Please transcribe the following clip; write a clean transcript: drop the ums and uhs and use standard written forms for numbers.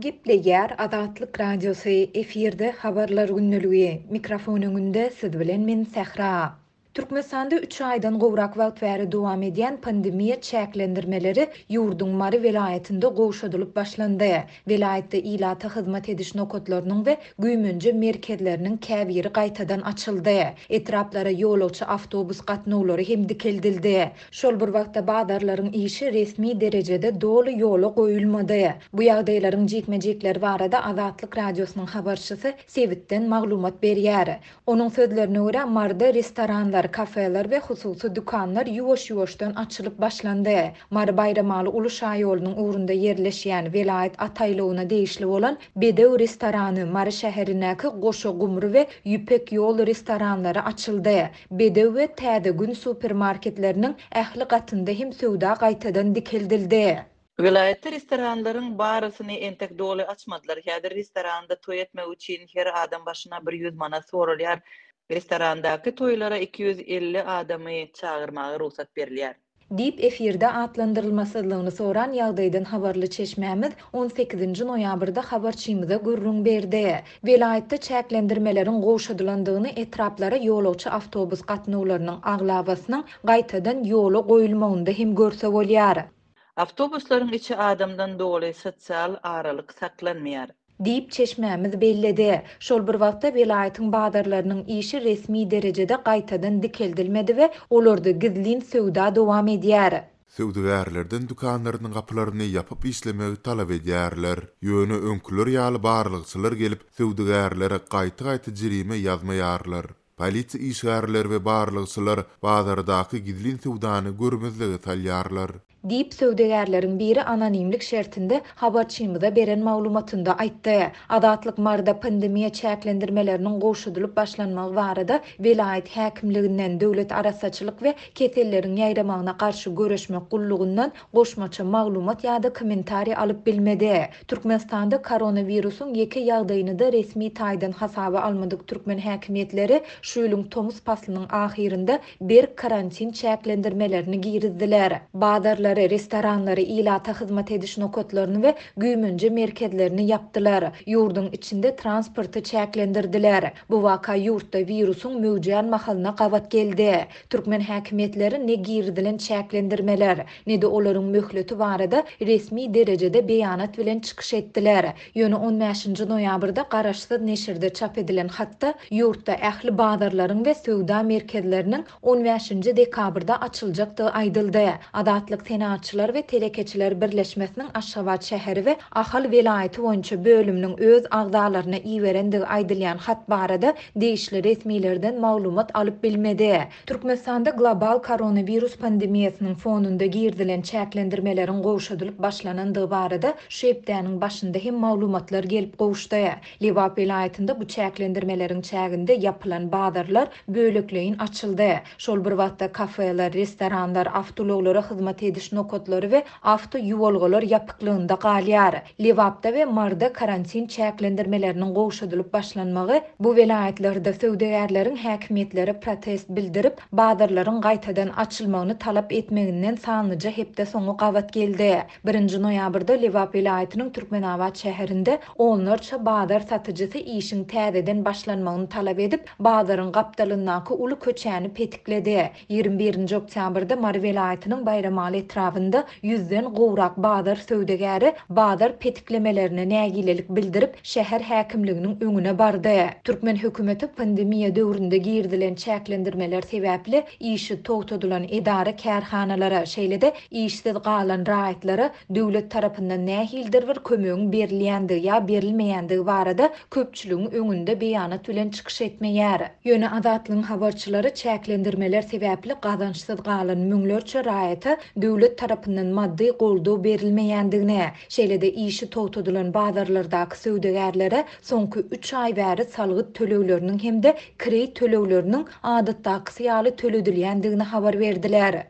Gepleýär Azatlyk Radiosy, efirde Habarlar gündeligi, mikrofon öňünde siz bilen men Sähra. Türkmenistanda üç aýdan gowrak wagt bäri dowam edýän pandemiýa çäklendirmeleri ýurduň Mary welaýatynda gowşadylyp başlandy. Welaýatda ilata hyzmat ediş nokatlarynyň we güýmenje merkezleriniň käbiri gaýtadan açyldy. Etraplara ýolagçy awtobus gatnawlary hem dikeldildi. Şol bir wagtda bazarlaryň işi resmi derejede doly ýola goýulmady. Bu ýagdaýlaryň jikme-jikleri barada Azatlyk Radiosynyň habarçysy sebitden maglumat berýär. Onuň sözlerine görä, Maryda restoranlar, kafeler we hususy dükanlar ýuwaş-ýuwaşdan açylyp başlandy. Mary-Baýramaly uly şaýolunyň ugrunda ýerleşýän, welaýat at aýlawyna degişli bolan Bedew restorany, Mary şäherindäki Goşa gumry we Ýüpek ýol restoranlary açyldy. Bedew we Täze Gün supermarketleriniň ähli gatynda hem söwda gaýtadan dikeldildi. Welaýatda restoranlaryň barysyny entek doly açmadylar. Häzir restoranda toý etmek üçin her adam başyna bir ýüz manat soralýar. Restorandaky toýlara 250 adamy çagyrmaga rugsat berilýär. Diýip, efirde atlandyrylmasyzlygyny soran ýagdaýdan habarly çeşmämiz on sekizinji noýabrda habarçymyza gürrüň berdi. Welaýatda çäklendirmeleriň gowşadylandygyny etraplara ýolagçy awtobus gatnawlarynyň aglabasynyň gaýtadan ýola goýulmagynda hem görse bolýar. Awtobuslaryň içi adamdan doly, sosial aralyk saklanmaýar. Diýip, çeşmämiz belledi. Şol bir wagtda, welaýatyň bazarlarynyň işi resmi derejede gaýtadan dikeldilmedi we olarda gizlin söwda dowam edýär. Söwdagärlerden dükanlarynyň gapylaryny ýapyp işlemegi talap edýärler. Ýöne öňküler ýaly barlagçylar gelip, söwdagärlere gaýta-gaýta jerime ýazmaýarlar. Polisiýa işgärleri we barlagçylar bazardaky gizlin söwdany görmezlige salýarlar. Diýip, söwdagärleriň biri anonimlik şertinde habarçymyza beren maglumatynda aýtdy. Azatlyk Maryda pandemiýa çäklendirmeleriniň gowşadylyp başlanmagy barada welaýat häkimliginden, Döwlet arassaçylyk we keselleriň ýaýramagyna garşy göreşmek gullugyndan goşmaça maglumat ýa-da kommentariý alyp bilmedi. Türkmenistanda koronawirusyň ýeke ýagdaýyny-da resmi taýdan hasaba almadyk türkmen häkimiýetleri şu ýylyň tomus paslynyň ahyrynda berk karantin çäklendirmelerini girizdiler. Bazarlary, restoranlary, ilata hyzmat ediş nokatlaryny we güýmenje merkezlerini ýapdylar. Ýurduň içinde transporty çäklendirdiler. Bu waka ýurtda wirusyň möwjän mahalyna gabat geldi. Türkmen häkimiýetleri ne girizilen çäklendirmeler, ne-de olaryň möhleti barada resmi derejede beýanat bilen çykyş etdiler. Ýöne on bäşinji noýabrda garaşsyz neşirde çap edilen hatda ýurtda ähli bazarlaryň we söwda merkezleriniň on bäşinji dekabrda açyljakdygy aýdyldy. Azatlyk Senagatçylar we telekeçiler birleşmesiniň Aşgabat şäheri we Ahal welaýaty boýunça bölüminiň öz agzalaryna iberendigi aýdylýan hat barada degişli resmilerden maglumat alyp bilmedi. Türkmenistanda global koronawirus pandemiýasynyň fonunda girizilen çäklendirmeleriň gowşadylyp başlanandygy barada şu hepdäniň başynda hem maglumatlar gelip gowuşdy. Lebap welaýatynda bu çäklendirmeleriň çäginde ýapylan bazarlar bölekleýin açyldy. Şol bir wagtda kafeler, restoranlar, awtoulaglara hyzmat ediş nokatlary we awtoýuwalgalar ýapyklygynda galýar. Lebapda we Maryda karantin çäklendirmeleriniň gowşadylyp başlanmagy bu welaýatlarda söwdagärleriň häkimiýetlere protest bildirip, bazarlaryň gaýtadan açylmagyny talap etmeginden sanlyja hepde soňy gabat geldi. Birinji noýabrda Lebap welaýatynyň Türkmenabat şäherinde onlarça bazar satyjysy işiň täzeden başlanmagyny talap edip, bazaryň gapdalyndaky uly köçäni petikledi. 21-nji oktýabrda Mary welaýatynyň Baýramaly etrabynda ýüzden gowrak bazar söwdagäri bazar petiklemelerine nägilelik bildirip, şäher häkimliginiň öňüne bardy. Türkmen hökümeti pandemiýa döwründe girizilen çäklendirmeler sebäpli işi togtadylan edara-kärhanalara, şeýle-de işsiz galan raýatlara döwlet tarapyndan nähilidir bir kömegiň berilýändigi ýa berilmeýändigi barada köpçüligiň öňünde beýanat bilen çykyş etmeýär. Ýöne Azatlygyň habarçylary çäklendirmeler sebäpli gazançsyz galan müňlerçe raýata döwlet tarapyndan maddy goldaw berilmeýändigini, şeýle-de işi togtadylan bazarlardaky söwdagärlere soňky üç aý bäri salgyt tölegleriniň hem-de kireý tölegleriniň adatdakysy ýaly töledilýändigini habar berdiler.